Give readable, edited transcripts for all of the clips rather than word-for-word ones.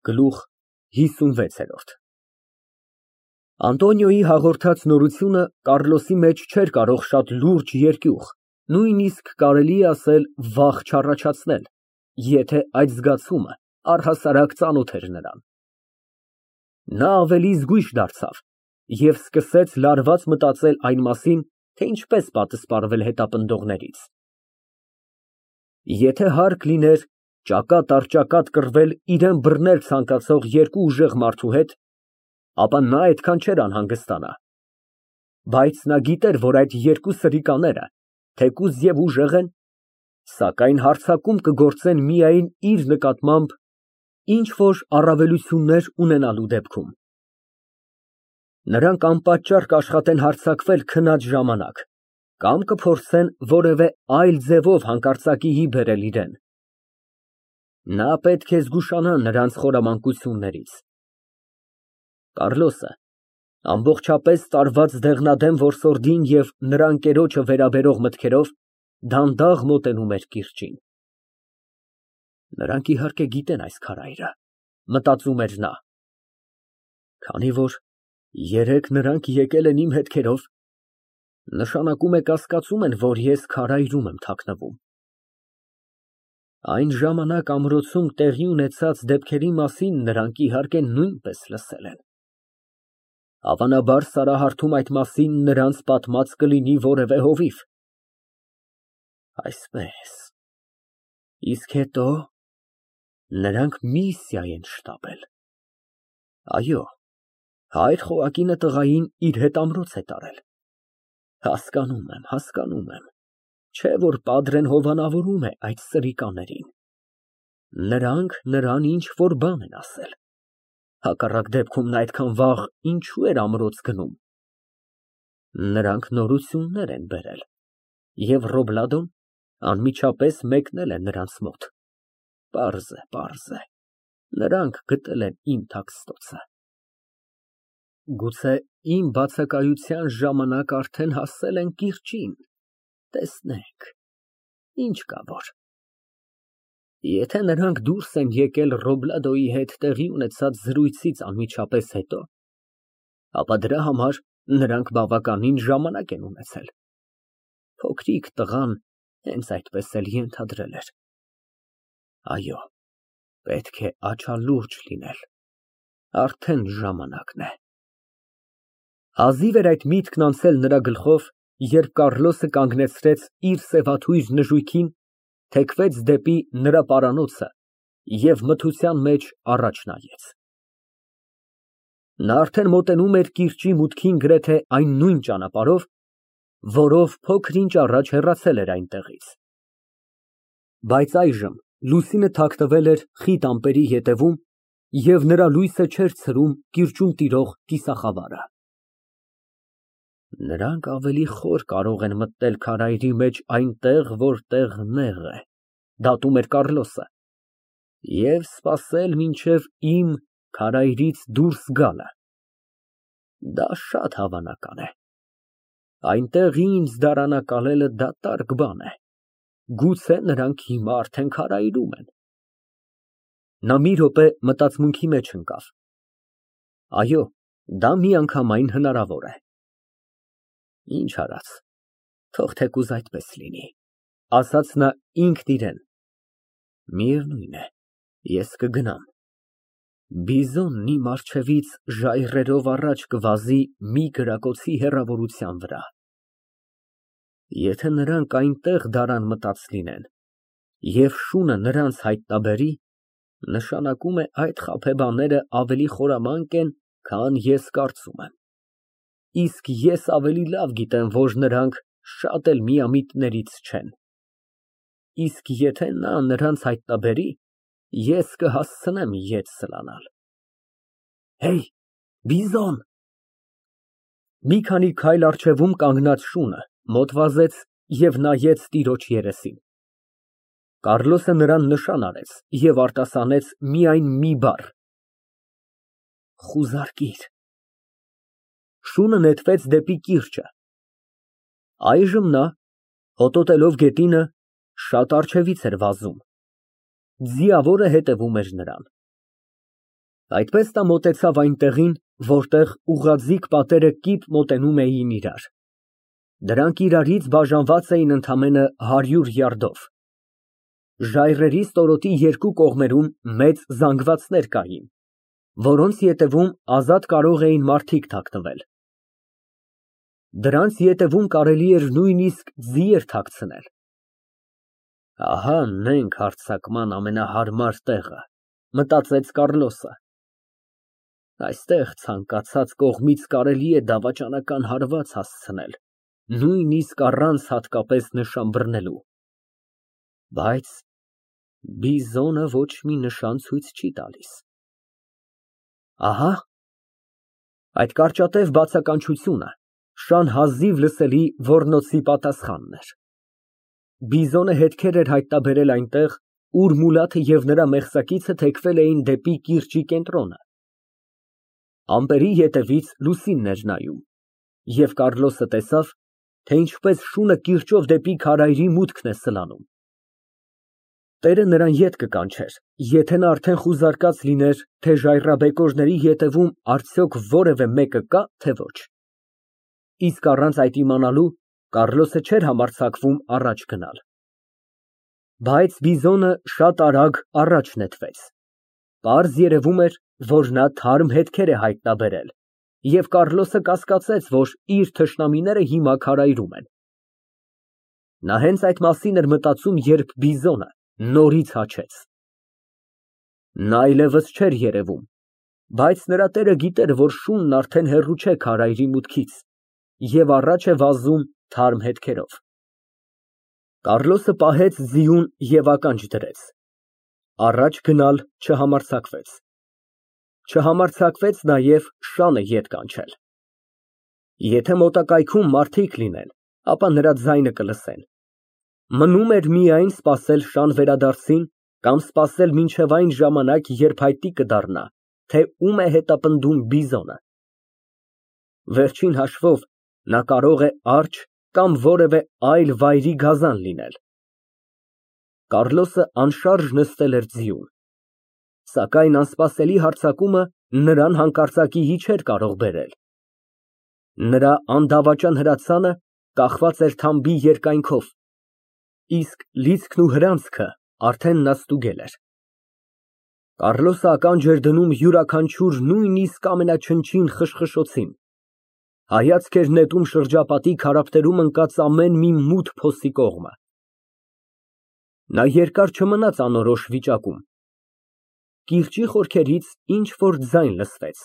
Գլուխ ՀԻսունվեցորդ Անտոնիոյի հաղորդած նորությունը Կառլոսի մեջ չէր կարող շատ լուրջ երկյուղ, նույնիսկ կարելի է ասել վախ չառաջացնել, եթե այդ զգացումը առհասարակ ծանոթ էր նրան։ Նա ավելի զգույշ դարձավ և սկսեց լարված մտածել այն մասին, թե ինչպես պատասխանվել հետապնդողներից։ Եթե հարկ լիներ ճակատ առ ճակատ կռվել իրան բռնել ցանկացող երկու ուժեղ մարդու հետ, ապա նա այդքան չէր անհանգստանա, բայց նա գիտեր, որ այդ երկու սրիկաները թեկուզ և ուժեղ են, սակայն հարձակում կգործեն միայն իր նկատմամբ ինչ֊որ առավելություններ ունենալու դեպքում։ Նրանք անպատճառ կաշխատեն հարձակվել քնած ժամանակ կամ կփորձեն որևէ այլ ձևով հանկարծակիի բերել իրան։ Նա պետք է զգուշանա նրանց խորամանկություններից։ Կառլոսը ամբողջապես տարված դեղնադեմ որսորդին և նրա ընկերոջը վերաբերող մտքերով դանդաղ մոտենում էր կիրճին։ Նրանք, իհարկե, գիտեն այս քարայրը, մտածում էր նա։ Քանի որ երեկ նրանք եկել են իմ հետքերով, նշանակում է կասկածում են, որ ես քարայրում եմ թաքնվում։ Այն ժամանակ ամրոցում տեղի ունեցած դեպքերի մասին նրանք, իհարկե, նույնպես լսել են։ Հավանաբար Սարահարթում այդ մասին նրանց պատմած կլինի որևէ հովիվ։ Այսպես, իսկ հետո նրանք միսիա են շտապել։ Այո, հայր Խոակինը տղային իր հետ ամրոց է տարել։ Հասկանում եմ, չէ՞ որ պատրեն հովանավորում է այդ սրիկաներին։ Նրանք նրան ինչ֊որ բան են ասել։ Հակառակ դեպքում նա այդքան վաղ ինչու էր ամրոց գնում։ Նրանք նորություններ են բերել, և Ռոբլադոն անմիջապես մեկնել է նրանց մոտ։ Պարզ է, նրանք գտել են իմ թաքստոցը։ Գուցե իմ բացակայության ժամանակ արդեն հասել են կիրճին, տեսնենք, ինչ կա որ։ Եթե նրանք դուրս են եկել Ռոբլադոյի հետ տեղի ունեցած զրույցից անմիջապես հետո, ապա դրա համար նրանք բավականին ժամանակ են ունեցել։ Փոքրիկ տղան հենց այդպես էլ ենթադրել էր։ Այո, պետք է աչալուրջ լինել, արդեն ժամանակն է։ Հազիվ էր այդ միտքն անցել նրա գլխով, երբ Կառլոսը կանգնեցրեց իր սևաթույր նժույգին, թեքվեց դեպի նրա պարանոցը և մթության մեջ առաջ նայեց։ Նա արդեն մոտենում էր կիրճի մուտքին գրեթե այն նույն ճանապարհով, որով փոքր-ինչ առաջ հեռացել էր այնտեղից։ Բայց այժմ լուսինը թաքնվել էր խիտ ամպերի ետևում, և նրա լույսը չէր ցրում կիրճում տիրող կիսախավարը։ Նրանք ավելի խոր կարող են մտնել քարայրի մեջ այնտեղ, որտեղ նեղ է, դատում էր Կառլոսը, և սպասել մինչև իմ քարայրից դուրս գալը։ Դա շատ հավանական է։ Այնտեղ ինձ դարանակալելը դատարկ բան է։ Գուցե նրանք հիմա արդեն քարայրում են։ Նա մի րոպե մտածմունքի մեջ ընկավ։ Այո, դա միանգամայն հնարավոր է։ Ինչ արած, թող թեկուզ այդպես լինի, ասաց նա ինքն իրան։ Միևնույն է, ես կգնամ։ Բիզոնն իմ առջևից ժայռերով առաջ կվազի մի կրակոցի հեռավորության վրա։ Եթե նրանք այնտեղ դարան մտած լինեն, և շունը նրանց հայտնաբերի, նշանակում է այդ խաբեբաները ավելի խորամանկ են, քան ես կարծում եմ։ Իսկ ես ավելի լավ գիտեմ, որ նրանք շատ էլ միամիտներից չեն։ Իսկ եթե նա նրանց հայտնաբերի, ես կհասցնեմ ետ սլանալ։ Հեյ, Բիզոն։ Մի քանի քայլ առջևում կանգնած շունը մոտ վազեց և նայեց տիրոջ երեսին։ Կառլոսը նրան նշան արեց և արտասանեց միայն մի բառ. խուզարկիր։ Շունը նետվեց դեպի կիրճը։ Այժմ նա, հոտոտելով գետինը, շատ առջևից էր վազում։ Ձիավորը հետևում էր նրան։ Այդպես նա մոտեցավ այն տեղին, որտեղ ուղղաձիգ պատերը կիպ մոտենում էին իրար. դրանք իրարից բաժանված էին ընդամենը 100 յարդով։ Ժայռերի ստորոտի երկու կողմերում մեծ զանգվածներ կային, որոնց ետևում ազատ կարող էին մարդիկ թաքնվել։ Դրանց ետևում կարելի էր նույնիսկ ձիեր թաքցնել։ Ահա նենք հարձակման ամենահարմար տեղը, մտածեց Կառլոսը։ Այստեղ ցանկացած կողմից կարելի է դավաճանական հարված հասցնել, նույնիսկ առանց հատկապես նշան բռնելու։ Բայց բիզոնը ոչ մի նշան ցույց չի տալիս։ Ահա, այդ կարճատև բացականչությունը շան հազիվ լսելի ոռնոցի պատասխանն էր։ Բիզոնը հետքեր էր հայտնաբերել այնտեղ, ուր Մուլաթը և նրա մեղսակիցը թեքվել էին դեպի կիրճի կենտրոնը։ Ամպերի ետևից լուսինն էր նայում, և Կառլոսը տեսավ, թե ինչպես շունը կիրճով դեպի քարայրի մուտքն է սլանում։ Տերը նրան ետ կկանչեր, եթե նա արդեն խուզարկած լիներ, թե ժայռաբեկորների ետևում արդյոք որևէ մեկը կա, թե ոչ։ Իսկ առանց այդ իմանալու Կառլոսը չէր համարձակվում առաջ գնալ։ Բայց բիզոնը շատ արագ առաջ նետվեց։ Պարզ երևում էր, որ նա թարմ հետքեր է հայտնաբերել, և Կառլոսը կասկածեց, որ իր թշնամիները հիմա քարայրում են։ Նա հենց այդ մասին էր մտածում, երբ բիզոնը նորից հաչեց։ Նա այլևս չէր երևում, բայց նրա տերը գիտեր, որ շունն արդեն հեռու չէ քարայրի մուտքից և առաջ է վազում թարմ հետքերով։ Կառլոսը պահեց ձիուն և ականջ դրեց։ Առաջ գնալ չհամարձակվեց։ Չհամարձակվեց նաև շանը ետ կանչել։ Եթե մոտակայքում մարդիկ լինեն, ապա նրա ձայնը կլսեն։ Մնում էր միայն սպասել շան վերադարձին կամ սպասել մինչև այն ժամանակ, երբ հայտնի կդառնա, թե ում է հետապնդում բիզոնը։ Վերջին հաշվով նա կարող է արջը կամ որևէ այլ վայրի գազան լինել։ Կառլոսը անշարժ նստել էր ձիուն։ Սակայն անսպասելի հարձակումը նրան հանկարծակիի չէր կարող բերել։ Նրա անդավաճան հրացանը կախված էր թամբի երկայնքով, իսկ լիցքն ու հրանցքը արդեն նա ստուգել էր։ Կառլոսը ականջ էր դնում յուրաքանչյուր նույնիսկ ամենաչնչին խշխշոցին, հայացք էր նետում շրջապատի քարափտերում ընկած ամեն մի մութ փոսի կողմը։ Նա երկար չմնաց անորոշ վիճակում։ Կիրճի խորքերից ինչ֊որ ձայն լսվեց,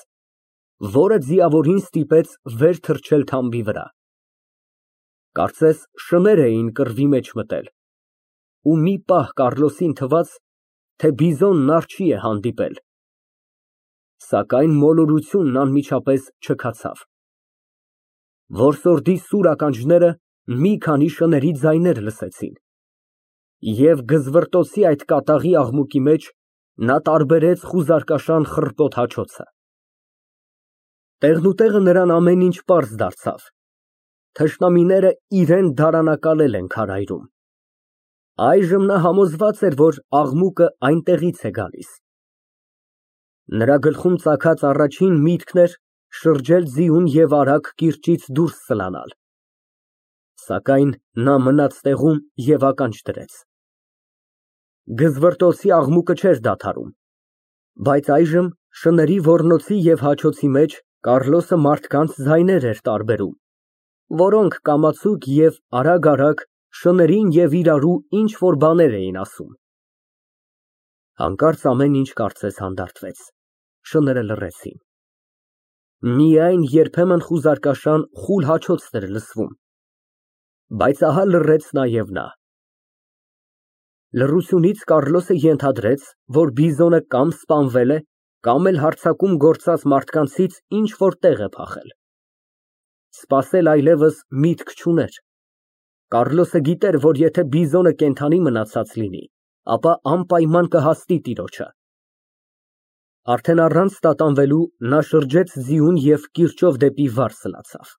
որը ձիավորին ստիպեց վեր թռչել թամբի վրա։ Կարծես շներ էին կռվի մեջ մտել, ու մի պահ Կառլոսին թվաց, թե բիզոնն արջի է հանդիպել։ Սակայն մոլորությունն անմիջապես չքացավ։ Որսորդի սուր ականջները մի քանի շների ձայներ լսեցին, և գզվռտոցի այդ կատաղի աղմուկի մեջ նա տարբերեց խուզարկաշան խռպոտ հաչոցը։ Տեղնուտեղը նրան ամեն ինչ պարզ դարձավ։ Թշնամիները իրան դարանակալել են քարայրում։ Այժմ նա համոզված էր, որ աղմուկը այնտեղից է գալիս։ Նրա գլխում ծագած առաջին միտքն էր շրջել ձիուն և արագ կիրճից դուրս սլանալ։ Սակայն նա մնաց տեղում և ականջ դրեց։ Գզվռտոցի աղմուկը չէր դադարում, բայց այժմ շների ոռնոցի և հաչոցի մեջ Կառլոսը մարդկանց ձայներ էր տարբերում, որոնք կամացուկ և արագ շներին և իրարու ինչ֊որ բաներ էին ասում։ Հանկարծ ամեն ինչ կարծես հանդարտվեց, շները լռեցին։ Միայն երբեմն խուզարկաշան խուլ հաչոցն էր լսվում, բայց ահա լռեց նաև նա։ Լռությունից Կառլոսը ենթադրեց, որ բիզոնը կամ սպանվել է, կամ էլ հարձակում գործած մարդկանցից ինչ֊որ տեղ է փախել։ Սպասել այլևս միտք չուներ։ Կառլոսը գիտեր, որ եթե բիզոնը կենդանի մնացած լինի, ապա անպայման կհասնի տիրոջը։ Արդեն առանց տատանվելու նա շրջեց ձիուն և կիրճով դեպի վար սլացավ։